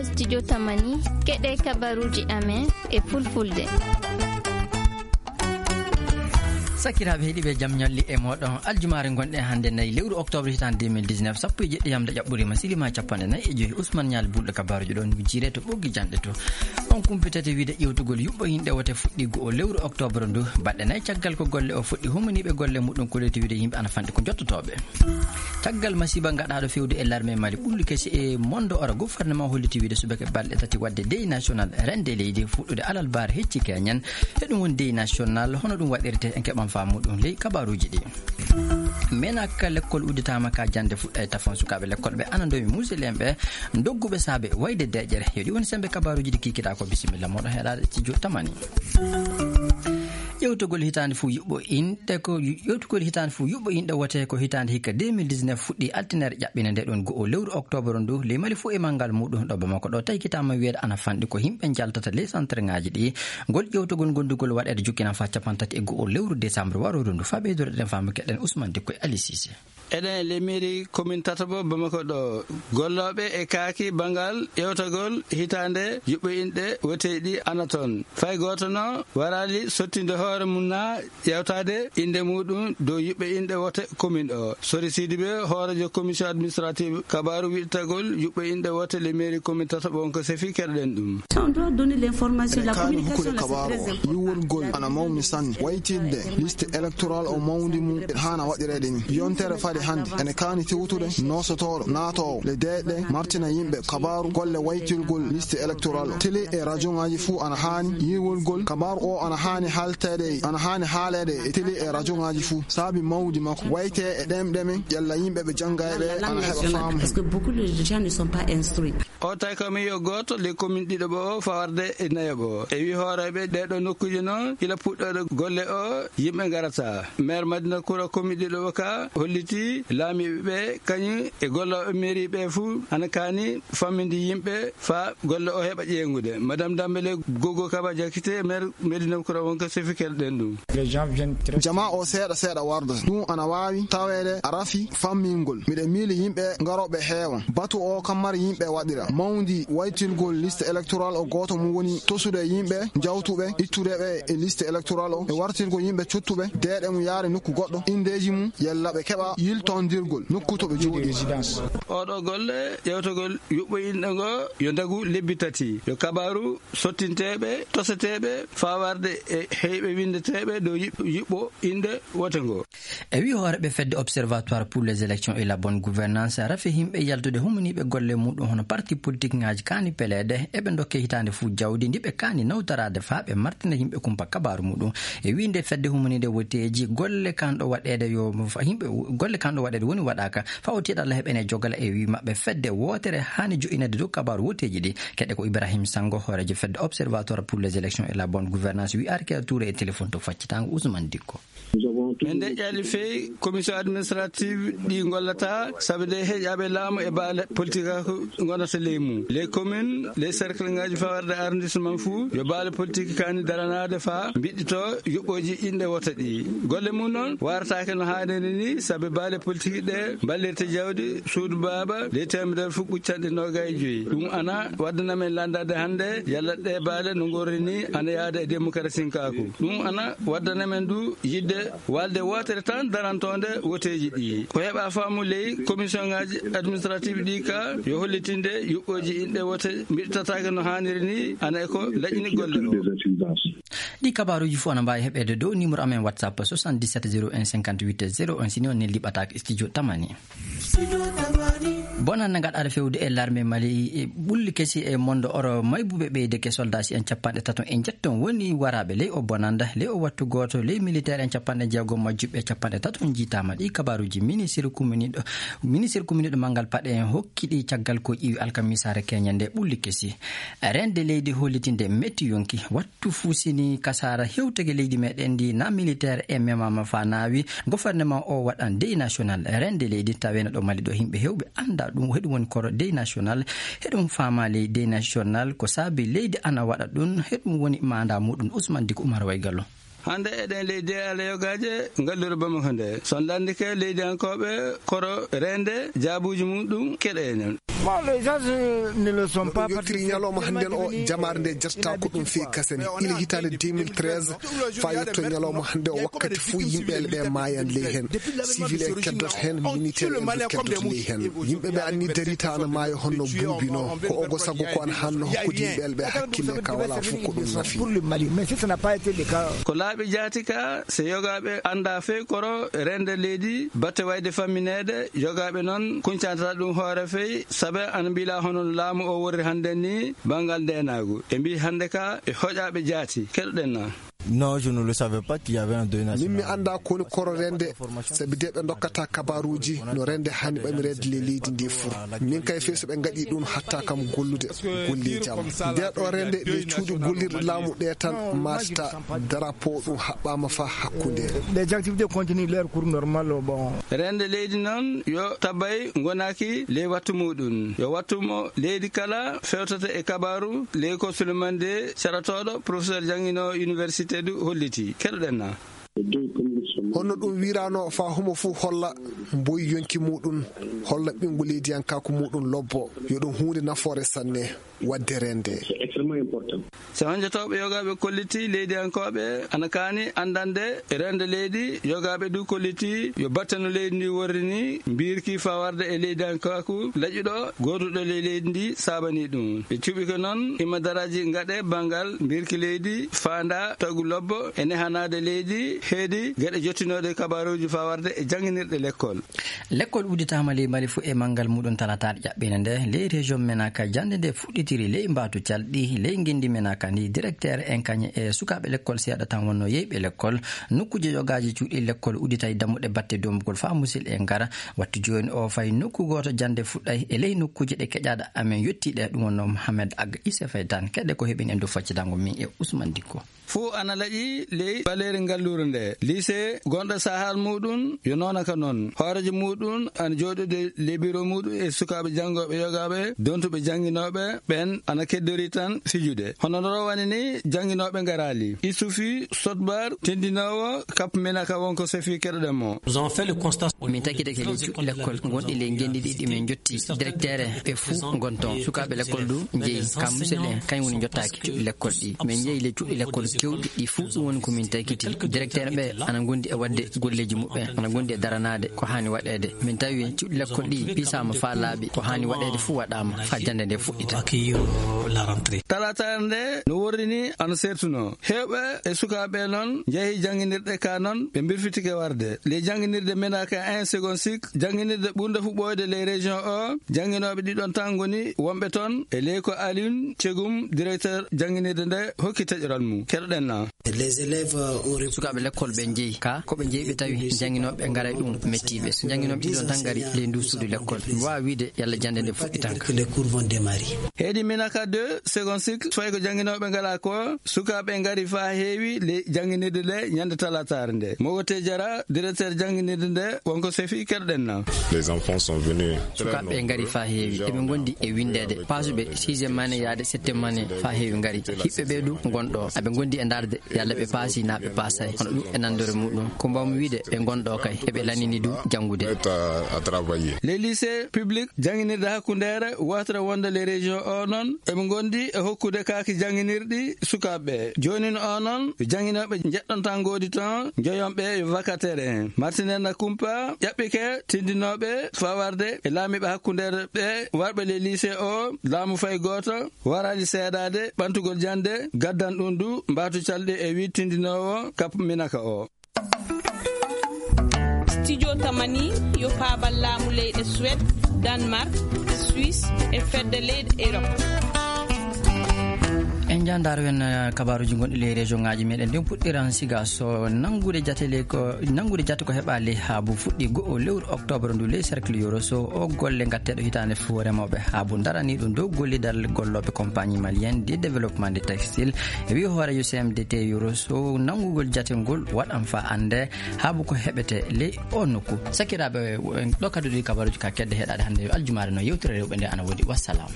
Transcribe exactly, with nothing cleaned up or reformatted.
Studio Tamani, keɗe kabaruji amen e fulfulde. Sakiraaɓe heɗiiɓe, jam ñalli e mooɗon. Aljumaare ngonɗen hannde, nayi lewru octobre hitaande deux mille dix-neuf, sappo e jeɗɗi yamde ƴaɓɓuriima, silima capanɗe nayi e joyi. Ousmane Ñaali Bulɗo kabaaruji ɗon wujjire to ɓoggi janɗe to. On kumpitete wiide ƴewtugol yuɓɓo inɗe wote fuɗɗi go'o lewru octobre ndu, baɗɗe nayi caggal ko golle o fuɗɗi, humaniiɓe golle muɗum kolliti wiide yimɓe ana fanɗi ko jottotooɓe. Caggal masiiba gaɗaaɗo fewde e larme Mali, ɓulli kesi e mondo ora, gouvernement holliti wiide subaka balɗe tati wadde deuil national rende leydi fuɗɗude alarba hecci keñen. E ɗum woni deuil national, hono ɗum waɗirte, en keɓan faamu ɗum ley kabaruuji ɗi. Menaka lekkol udditaama ka jannde fuɗɗa e tafon sukaaɓe lekkol ɓe ana ndomi muusel en ɓe dogguɓe saabe wayde deƴƴere. Yo ɗi woni sembe kabaruuji ɗi kikiɗa ko, bisimilla moɗon heɗaade studio Tamani. Ƴewtugol hitaande fof yuɓɓo inɗe ko, ƴewtugol hitaande fof yuɓɓo inɗe wote ko hitaande hikka deux mille dix-neuf fuɗɗi altine ere ƴaɓɓine nde ɗon go'o lewru octobre ndu, ley Mali fof e manngal muɗum ɗo Bamako ɗo taykitaama wiyeede ana fanɗi ko yimɓe njaltata ley centre ŋaaji ɗi. Ngol ƴewtugol gondugol waɗeede jukkina faa capanɗe tati e go'o lewru décembre warooru ndu. Faa ɓeydoreɗen faamu keɗen Ousmane Dikko e Ali Cissé. Eɗen e le mairie commune tataɓo Bamako ɗo. Gollooɓe e kaaki banngal ƴewtagol hitaande yuɓɓo inɗe woteeji ɗi ana toon. Fay gooto no waraali sottinde hoore mum na ƴewtaade innde muɗum dow yuɓɓe inɗe wote commune o. Sori Sidibé, hooreejo commission administrative kabaaru wiɗtagol yuɓɓe inɗe wote le mairie commune tataɓo on ko sefi keɗoɗen ɗum. On doit donner l'information, la communication, là, c'est très important. Yiwol ngol ana mawni sanne. Waytirde liste électorale o mawndi mum haana waɗireede ni. Yontere fade hannde ene kaani tewtude noosotooɗo naatoowo le deeƴɗe martina yimɓe kabaaru golle waytirgol liste électorale o. Télé e radio ŋaaji fuu ana haani yiwol ngol kabaaru o ana haani haalteede, ana haani haaleede e télé e radio ŋaaji fuu. Saabi mawdi makko wayte e ɗemɗe men, yalla yimɓe ɓe jannga e ɓe ana heɓa faamu. Parce que beaucoup de gens ne sont pas instruits. O tawi ko mi yo gooto le commune ɗiɗo ɓo o fawarde e nayo ɓo. E wi hooreeɓe ɗeɗo nokkuuje noon, ila puɗɗoɗo golle o, yimɓe ngarata. Maire Madina Kura commune ɗiɗo ɓo ka holliti laamiiɓe ɓe kañum e gollooɓe mairie ɓe fuu ana kaani famminde yimɓe faa golle o heɓa ƴeeŋude. Madame Dambele Gogo Kaba Jakite, maire Medina Kura wonko sefi keɗoɗen ɗum. Jamaa o seeɗa seeɗa warda. Ɗum ana waawi taweede a rafi fammingol. Miɗen miili yimɓe ngarooɓe heewan. Batu o kam mari yimɓe waɗira. Mawndi waytirgol liste électorale o gooto mum woni tosude yimɓe, jawtuɓe, ittude ɓe e liste électorale o, e wartirgol yimɓe cottuɓe, deeɗe mum yaare nokku goɗɗo, indeeji mum, yalla ɓe keɓa yiltondirgol nokku to ɓe jooɗi. Oɗo golle ƴewtogol yuɓɓo inɗe ngo yo ndagu lebbi tati. Yo kabaaru sottinteeɓe, toseteeɓe, fawarde e heyɓe winndeteeɓe dow yiɓ-, yiɓɓo innde wote ngo. E wi hooreɓe fedde Observatoire pour les élections et la bonne gouvernance, rafi himɓe yaltude humaniiɓe golle muɗum hono parti politique ŋaaji kaani peleede, eɓe ndokke hitaande fuu jawdi ndi ɓe kaani nawtoraade faa ɓe martina yimɓe kumpa kabaaru muɗum. E wi nde fedde humaniinde woteeji, golle kanɗo waɗeede yo fa-, yimɓe, golle kanɗo waɗeede woni waɗaaka. Fawtiiɗo Allah heɓene jogala e wi maɓɓe fedde wootere haani jo'inede dow kabaaru woteeji ɗi. Keɗe ko Ibrahim Sango, hooreejo fedde Observatoire pour les élections et la bonne gouvernance, wi Arke Touré e téléphone to faccitango Ousmane Dikko. Min deƴƴaali feyi commission administrative ɗi ngollata, sabu nde heƴaaɓe laamu e baale politique ko ngonata ley mum. Les communes, les cercles ngaji fawarde arrondissement fou, yo baale politique kani daranaade fa mbiɗɗito yuɓɓooji inɗe wota ɗi. Golle mum noon warataake no haaniri ni, sabu baale politique ɗe mballirta jawdi suudu baaba ley teemedere fof ɓuccanɗe noogay e joyi. Ɗum ana waddana men landaade hannde yalla ɗe baale no ngorri ni ana yaada e démocratie kaaku. Ɗum ana waddana men du yidde walde wootere tan darantoonde woteeji ɗi. Ko heɓa faamu ley commission ngaji administrative ɗi ka yo hollitinde yuɓɓooji inɗe wote mbiɗtataake no haaniri ni ana e ko laƴini golle o. Ɗi kabaaruuji fof ana mbaawi heɓeede dow numéro amen WhatsApp soixante-dix-sept zéro un cinquante-huit zéro un, si ni on neldi ɓataake studio Tamani. Bonannda gaɗaaɗo fewde e larme Mali, e ɓulli kesi e mondo oro maybuɓe ɓeydeke, soldaaji en capanɗe tato e njetton woni waraaɓe ley o bonannda. Ley o wattu gooto, ley militaire en capanɗe jeegom majjuɓe capanɗe tato njiitaama. Ɗi kabaaruuji ministre commune ɗo, ministre commune ɗo Manngal Paɗe en hokki ɗi caggal ko ƴiwi alkamisaare keñe nde ɓulli kesi. Rende leydi hollitinde metti yonki. Wattu fusini kasaara hewtege leydi meɗen ndi na militaire e memama fa naawi gouvernement o waɗan deuil national. Rende leydi tawena ɗo Mali ɗo himɓe hewɓe anda ɗum heɗum woni koro deuil national. Heɗum faama ley deuil national ko saabi leydi ana waɗa ɗum heɗum woni manda muɗum. Ousmane Diko Oumar Waygallo. Hannde eɗen ley de Alla yogaaje ngallure Bamako nde. So lanndike leydiyankooɓe koro reende jaabuuji mum ɗum keɗe enen. Bon, les gens, euh, ne le sont pas. Yottiri ñalawma hannden o, jamaare nde jettata ko ɗum fii kasen. Ila hitaande deux mille treize, faa yotto ñalawma hannde o, wakkati fuu yimɓe ɓe maayan ley heen. Civil en keddoto heen, militaire en du keddoto ley heen. Yimɓe ɓe anni darita ana maaya honno buubi no. Ko ogo sago ko ana hanno hokkude yimɓe ɓe hakkille ka wala fof ko ɗum nafi. Pour le Mali, mais si ça n'a pas été le cas. Ko laaɓi jaati ka, so yogaaɓe annda fey koro rende leydi, batte wayde fammineede, yogaaɓe noon kuncanta ɗum hoore fey, sabe ana mbila hono laamu o worri hannden ni banngal ndeenaagu. E mbi hannde ka e hoƴaaɓe jaati. Keɗoɗen na. Non, je ne le savais pas qu'il y avait un deuil national. Min mi annda ko woni koro rende, sabi de ɓe ndokkata kabaruuji no rende hani ɓamireede le leydi ndi fur. Min kay fey so ɓe ngaɗi ɗum hatta kam gollude golleeji am. Nde ɗo rende le cuuɗi gollirɗe laamu ɗe tan matata, drapeau ɗum haɓɓaama fa hakkunde. Les activités continuent leur cours normal, bon. Rende leydi noon yo tabay ngonaki ley wattu muɗum. Yo wattu mo leydi kala fewtata e kabaru ley ko Souleymane de Caratooɗo, professeur jannginoowo université du holliti. Keɗoɗen na. Honno ɗum wirano fa homo fuu holla mboyi yonki muɗum, holla ɓinngu leydiyankaaku muɗum lobbo, yo ɗum huunde nafoore sanne, waɗde rende. C'est extrêmement important. So honjotooɓe yogaaɓe kolliti leydiyankooɓe ana kaani anndande rende leydi, yogaaɓe du kolliti yo battano leydi ndi worri ni, mbirki fa warde e leydiyankaaku laƴuɗo, gooduɗo ley leydi ndi saabani ɗum. Ɓe cuɓi ko noon himma daraaji ngaɗe banngal mbirki leydi, faanda tagu lobbo e nehanaade leydi, heedi geɗe jottinooɗe kabaruuji fa warde e jannginirɗe lekkol. Lekkol udditaama ley Mali fuu e manngal muɗum talataare ƴaɓɓiinde nde. Ley région Menaka, jannde nde fuɗɗitiri ley mbaatu calɗi, ley ngenndi Menaka ndi. Directeur en kañe e sukaaɓe lekkol seeɗa tan wonno yeyɓe lekkol. Nokkuuje yogaaji cuuɗi lekkol udditay dammuɗe batte dombugol faa musidɓe ngara. Wattu jooni o fay nokku gooto jannde fuɗɗay e ley nokkuuje ɗe keƴaaɗe amen yottiiɗe. Ɗum wonno Mohamed Ag Issa Faytan. Keɗe ko heɓin en dow faccitango min e Ousmane Dikko. Fuu ana laƴi ley ɓaleeri ngalluure nde. Lycée gonɗo sahal muɗum yo noona ka noon. Hooreejo muɗum ana jooɗude ley biro muɗum e sukaaɓe janngooɓe yogaaɓe, dontuɓe jannginooɓe ɓen ana keddori tan fijude. Hono no rowani ni jannginooɓe ngaraali. Isufi Sotbar, tindinoowo Cap Menaka wonko sefi keɗoɗen mo. Nous avons fait le constat. Min takkitake ley cuuɗi lekkol gonɗi ley ngenndi ɗiɗi min jotti directeur ɓe fuu ngon toon. Sukaaɓe lekkol du njeyi ka musidɓe en, kañ woni jottaaki cuuɗi lekkol ɗi. Min njeyi ley cuuɗi lekkol kewɗi ɗi fuu, ɗum woni ko min takkiti. Directeur ɓe ana ngondi e waɗde golleeji muɓɓen, ana ngondi e daranaade ko haani waɗeede. Min tawi cuuɗi lekkol ɗi piisaama faa laaɓi, ko haani waɗeede fuu waɗaama faa jannde nde fuɗɗita. Accueillir la rentrée. Talataare nde no worri ni ana sertuno. Heewɓe e sukaaɓe noon njehi jannginirɗe ka noon, ɓe mbirfitike warde. Ley jannginirde Menaka un seconde cycle, jannginirde ɓurnde fuɗɗoyde ley région o, jannginooɓe ɗiɗon tan ngoni wonɓe toon. E ley ko Alioune Cegum, directeur jannginirde nde, hokki taƴoral mum. Keɗoɗen na. Les élèves ont repris. Sukaaɓe lekkol ɓe njehi ka, ko ɓe njehi ɓe tawi jannginooɓe ngaray ɗum mettiiɓe. Jannginooɓe ɗiɗon tan ngari ley ndu suudu lekkol. Mi waawa wiide yalla jannde nde fuɗɗitanka. Les cours vont démarrer. Heedi Menaka deux, second cycle, fayi ko jannginooɓe ngala ko, sukaaɓe ngari faa heewi ley jannginirde nde ñande talataare nde. Mogote Jara, directeur jannginirde nde, wonko sefi keɗoɗen na. Les enfants sont venus très nombreux. Sukaaɓe ngari faa heewi. Eɓe ngondi e windeede. Paasuɓe sixième année yaade septième année faa heewi ngari. Hiɓɓe ɓe du ngon ɗo. Aɓe ngondi e ndaarde yalla ɓe paasi naa ɓe paasay. Hono ɗum e nanndore muɗum. Ko mbawmi wiide ɓe ngon ɗo kay. Eɓe lanini du janngude. Prêts à, à travailler. Les lycées publics, jannginirde hakkundeere, watra wonde les régions o noon, eɓe ngondi e hokkude kaaki jannginirɗi sukaaɓe ɓe. Joonin o noon, jannginooɓe njeɗɗon tan ngoodi toon, njoyon ɓe yo vacataire en. Martinelle na Kumpa, ƴaɓɓike tindinooɓe fawarde e laamiiɓe hakkundeere ɓe warɓe les lycées o, laamu fay gooto, waraani seedaade ɓantugol jannde, gaddan ɗum du mbaatu calɗi e wiɗtindinoowo Cap Minaka o. Studio Tamani yo paabal laamu leyɗe Suède, Danemark, Suisse e fedde leyɗe Europe. En njaandaaro en, eh, kabaaruuji gonɗi ley région ŋaaji meɗen. Ndeen puɗɗiran siga so nanngude jate ley ko, nanngude jate ko heɓaa ley haabu fuɗɗi go'o lewru octobre ndu ley cercle Yoro Sow. O golle ngatteeɗo hitaande fof remooɓe haabu ndaranii ɗum dow gollidal gollooɓe compagnie malienne de développement de textile. E wi'i hooreejo C M D T Yoro Sow, nanngugol jate ngol waɗan faa annde haabu ko heɓete ley o nokku. Sakiraaɓe, en ɗo kadduɗi kabaaruuji ka kedde heɗaade hannde yo aljumaare no yewtere rewɓe nde ana woodi. Wassalam.